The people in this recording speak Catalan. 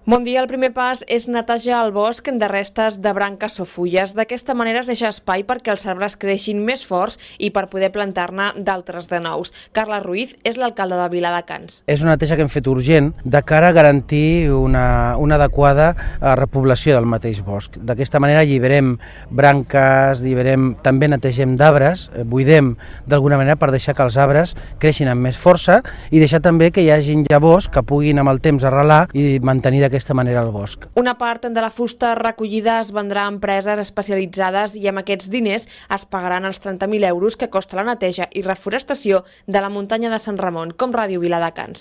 Bon dia. El primer pas és netejar el bosc de restes de branques o fulles. D'aquesta manera es deixa espai perquè els arbres creixin més forts i per poder plantar-ne d'altres de nous. Carles Ruiz és l'alcalde de Viladecans. És una neteja que hem fet urgent de cara a garantir una adequada repoblació del mateix bosc. D'aquesta manera alliberem branques, també netegem d'arbres, buidem d'alguna manera per deixar que els arbres creixin amb més força i deixar també que hi hagin llavors que puguin amb el temps arrelar i mantenir d'aquesta manera el bosc. Una part de la fusta recollida es vendrà a empreses especialitzades i amb aquests diners es pagaran els 30.000 euros que costa la neteja i reforestació de la muntanya de Sant Ramon, com Ràdio Viladecans.